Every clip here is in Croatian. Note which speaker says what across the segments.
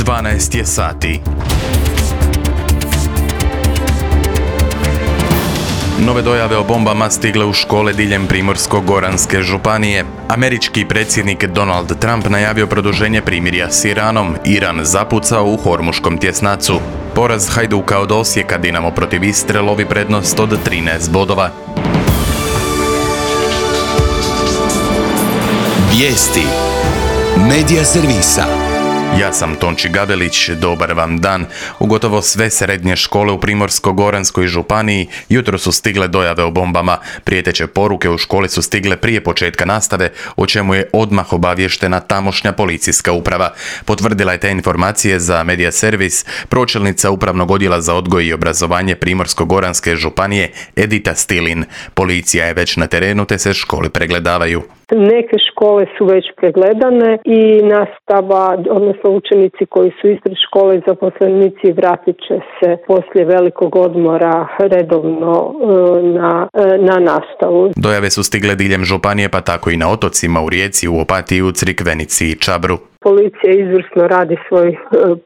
Speaker 1: 12 je sati. Nove dojave o bombama stigle u škole diljem Primorsko-goranske županije. Američki predsjednik Donald Trump najavio produženje primirja s Iranom. Iran zapucao u Hormuškom tjesnacu. Poraz Hajduka od Osijeka Dinamo protiv Istre lovi prednost od 13 bodova.
Speaker 2: Vijesti Medija servisa.
Speaker 1: Ja sam Tonči Gabelić, dobar vam dan. U gotovo sve srednje škole u Primorsko-goranskoj županiji jutro su stigle dojave o bombama. Prijeteće poruke u školi su stigle prije početka nastave, o čemu je odmah obavještena tamošnja policijska uprava. Potvrdila je te informacije za Medija servis pročelnica Upravnog odjela za odgoj i obrazovanje Primorsko-goranske županije Edita Stilin. Policija je već na terenu te se škole pregledavaju.
Speaker 3: Neke škole su već pregledane i nastava, odnosno učenici koji su ispred škole i zaposlenici vratit će se poslije velikog odmora redovno na nastavu.
Speaker 1: Dojave su stigle diljem županije, pa tako i na otocima u Rijeci, u Opatiji, u Crikvenici i Čabru.
Speaker 3: Policija izvrsno radi svoj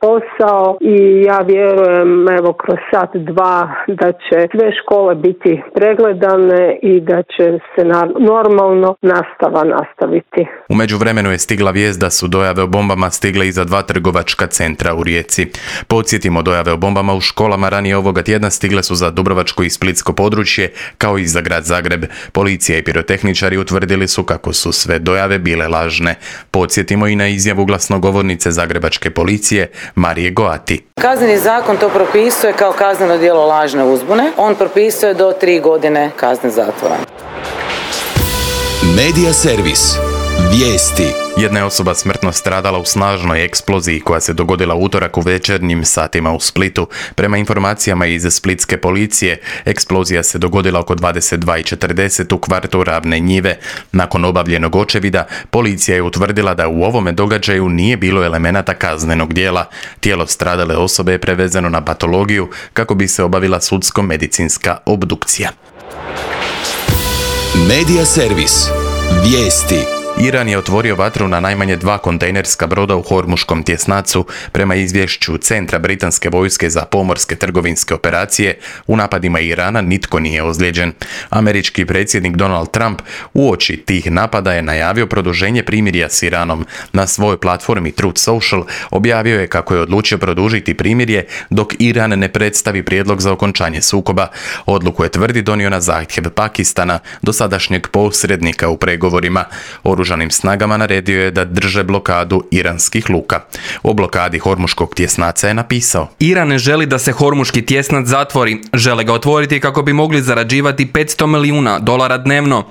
Speaker 3: posao i ja vjerujem kroz sat, dva da će sve škole biti pregledane i da će se normalno nastava nastaviti.
Speaker 1: U međuvremenu je stigla vijest da su dojave o bombama stigle i za 2 trgovačka centra u Rijeci. Podsjetimo, dojave o bombama u školama ranije ovoga tjedna stigle su za Dubrovačko i Splitsko područje, kao i za grad Zagreb. Policija i pirotehničari utvrdili su kako su sve dojave bile lažne. Podsjetimo i na izjavu glasnogovornice zagrebačke policije Marije Goati.
Speaker 4: Kazneni zakon to propisuje kao kazneno djelo lažne uzbune. On propisuje do 3 godine kazne zatvora.
Speaker 2: Medija servis. Vijesti.
Speaker 1: Jedna je osoba smrtno stradala u snažnoj eksploziji koja se dogodila u utorak u večernjim satima u Splitu. Prema informacijama iz splitske policije, eksplozija se dogodila oko 22:40 u kvartu Ravne Njive. Nakon obavljenog očevida, policija je utvrdila da u ovome događaju nije bilo elemenata kaznenog djela. Tijelo stradale osobe je prevezeno na patologiju kako bi se obavila sudsko-medicinska obdukcija.
Speaker 2: Medija servis. Vijesti.
Speaker 1: Iran je otvorio vatru na najmanje 2 kontejnerska broda u Hormuškom tjesnacu. Prema izvješću Centra britanske vojske za pomorske trgovinske operacije, u napadima Irana nitko nije ozlijeđen. Američki predsjednik Donald Trump uoči tih napada je najavio produženje primirja s Iranom. Na svojoj platformi Truth Social objavio je kako je odlučio produžiti primirje dok Iran ne predstavi prijedlog za okončanje sukoba. Odluku je, tvrdi, donio na zahtjev Pakistana, dosadašnjeg posrednika u pregovorima. Oružanim snagama naredio je da drže blokadu iranskih luka. O blokadi Hormuškog tjesnaca je napisao:
Speaker 5: Iran ne želi da se Hormuški tjesnac zatvori, žele ga otvoriti kako bi mogli zarađivati $500 milijuna dnevno.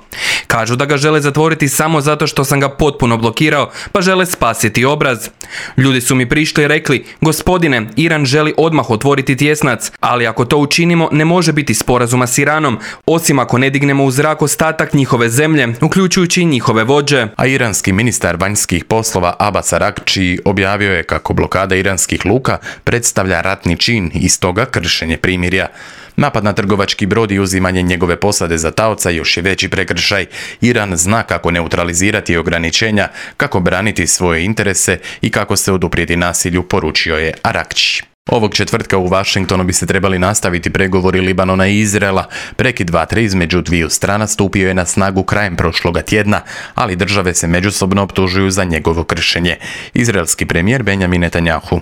Speaker 5: Kažu da ga žele zatvoriti samo zato što sam ga potpuno blokirao, pa žele spasiti obraz. Ljudi su mi prišli i rekli: gospodine, Iran želi odmah otvoriti tjesnac, ali ako to učinimo ne može biti sporazuma s Iranom, osim ako ne dignemo u zrak ostatak njihove zemlje, uključujući i njihove vođe.
Speaker 1: A iranski ministar vanjskih poslova Abbas Araghči objavio je kako blokada iranskih luka predstavlja ratni čin i stoga kršenje primirja. Napad na trgovački brod i uzimanje njegove posade za taoca još je veći prekršaj. Iran zna kako neutralizirati ograničenja, kako braniti svoje interese i kako se oduprijeti nasilju, poručio je Araghči. Ovog četvrtka u Washingtonu bi se trebali nastaviti pregovori Libanona i Izraela. Prekid vatre između dviju strana stupio je na snagu krajem prošloga tjedna, ali države se međusobno optužuju za njegovo kršenje. Izraelski premijer Benjamin Netanyahu: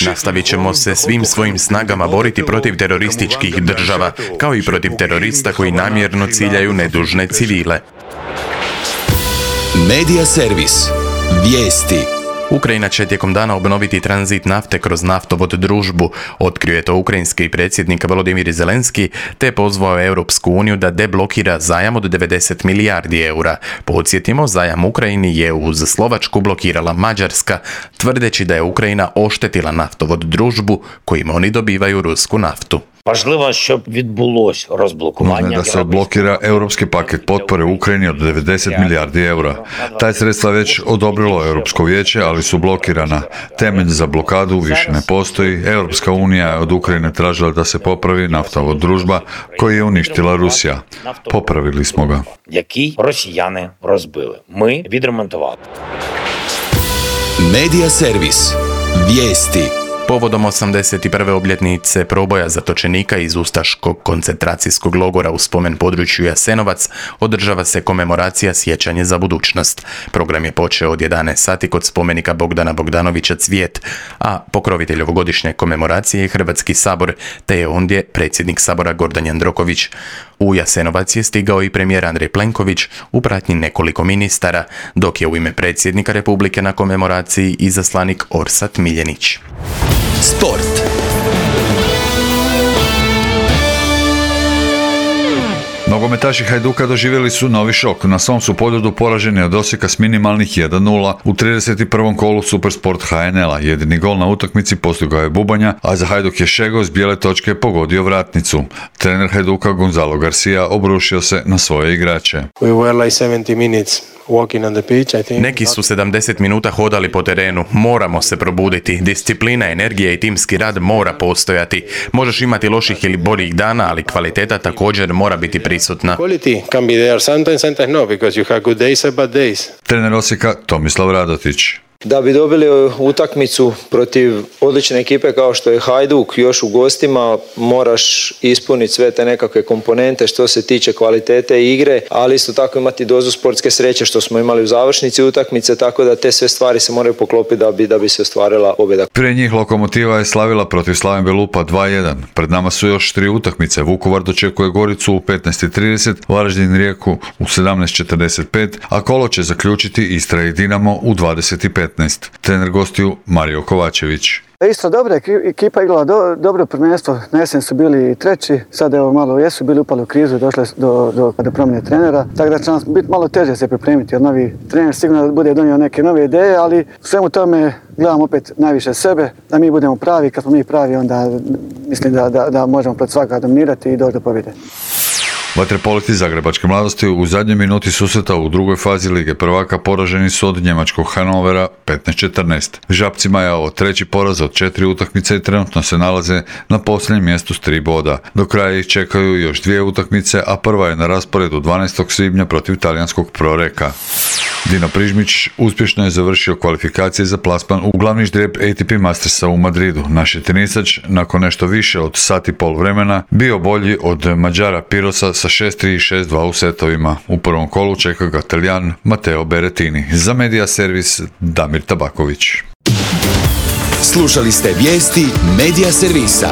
Speaker 1: nastavit ćemo se svim svojim snagama boriti protiv terorističkih država, kao i protiv terorista koji namjerno ciljaju nedužne civile.
Speaker 2: Medija servis. Vijesti.
Speaker 1: Ukrajina će tijekom dana obnoviti tranzit nafte kroz naftovod Družbu, otkrio je to ukrajinski predsjednik Volodymyr Zelenski, te pozvao Europsku uniju da deblokira zajam od 90 milijardi eura. Podsjetimo, zajam Ukrajini je uz Slovačku blokirala Mađarska, tvrdeći da je Ukrajina oštetila naftovod Družbu kojim oni dobivaju rusku naftu.
Speaker 6: Важливо, щоб відбулось розблокування.
Speaker 7: Da se odblokira europski paket potpore Ukrajini od 90 milijardi eura. Taj sredstva već odobrilo Europsko vijeće, ali su blokirana. Temelj za blokadu više ne postoji. Europska unija je od Ukrajine tražila da se popravi naftovod Družba koji je uništila Rusija. Popravili smo ga.
Speaker 6: Який росіяни розбили. Ми відремонтували.
Speaker 2: Medija servis. Vijesti.
Speaker 1: Povodom 81. obljetnice proboja zatočenika iz ustaškog koncentracijskog logora u spomen području Jasenovac održava se komemoracija Sjećanje za budućnost. Program je počeo od 11 sati kod spomenika Bogdana Bogdanovića Cvijet, a pokrovitelj ovogodišnje komemoracije je Hrvatski sabor, te je ondje predsjednik sabora Gordan Jandroković. U Jasenovac je stigao i premijer Andrej Plenković u pratnji nekoliko ministara, dok je u ime predsjednika Republike na komemoraciji izaslanik Orsat Miljenić.
Speaker 2: Sport.
Speaker 7: Nogometaši Hajduka doživjeli su novi šok. Na svom su poljudu poraženi od Osijeka s minimalnih 1-0 u 31. kolu Supersport HNL-a. Jedini gol na utakmici postigao je Bubanja, a za Hajduk je Šego s bijele točke pogodio vratnicu. Trener Hajduka Gonzalo Garcia obrušio se na svoje igrače.
Speaker 8: We were like 70 minutes walking on the pitch, I think.
Speaker 1: Neki su 70 minuta hodali po terenu. Moramo se probuditi. Disciplina, energija i timski rad mora postojati. Možeš imati loših ili boljih dana, ali kvaliteta također mora biti prisutna.
Speaker 8: Quality can be there sometimes no, because you have good days and bad days.
Speaker 7: Trener Osijeka Tomislav Radotić.
Speaker 9: Da bi dobili utakmicu protiv odlične ekipe kao što je Hajduk, još u gostima, moraš ispuniti sve te nekakve komponente što se tiče kvalitete igre, ali isto tako imati dozu sportske sreće što smo imali u završnici utakmice, tako da te sve stvari se moraju poklopiti da bi se ostvarila pobjeda.
Speaker 7: Prije njih Lokomotiva je slavila protiv Slaven Belupa 2-1. Pred nama su još 3 utakmice. Vukovar dočekuje Goricu u 15:30, Varaždin Rijeku u 17:45, a kolo će zaključiti Istra i Dinamo u 20:15. Trener gostiju Mario Kovačević.
Speaker 10: Isto dobra ekipa igrala dobro prvenstvo, na jesen su bili treći, sad evo malo jesu bili upali u krizu i došli do promjene trenera, tako da će nam biti malo teže se pripremiti, jer novi trener sigurno bude donio neke nove ideje, ali svemu tome gledamo opet najviše sebe, da mi budemo pravi, kad smo mi pravi onda mislim da možemo pred svaka dominirati i doći do pobjede.
Speaker 7: Vaterpolisti Zagrebačke mladosti u zadnjoj minuti susreta u drugoj fazi Lige prvaka poraženi su od njemačkog Hanovera 15:14. Žabcima je ovo treći poraz od 4 utakmice i trenutno se nalaze na posljednjem mjestu s 3 boda. Do kraja ih čekaju još 2 utakmice, a prva je na rasporedu 12. svibnja protiv talijanskog Proreka. Dino Prižmić uspješno je završio kvalifikacije za plasman u glavni ždrijeb ATP Mastersa u Madridu. Naš je tenisač nakon nešto više od sat i pol vremena bio bolji od Mađara Pirosa sa 6-3 i 6-2 u setovima. U prvom kolu čeka ga Talijan Matteo Berrettini. Za Media Servis Damir Tabaković.
Speaker 2: Slušali ste vijesti Media Servisa.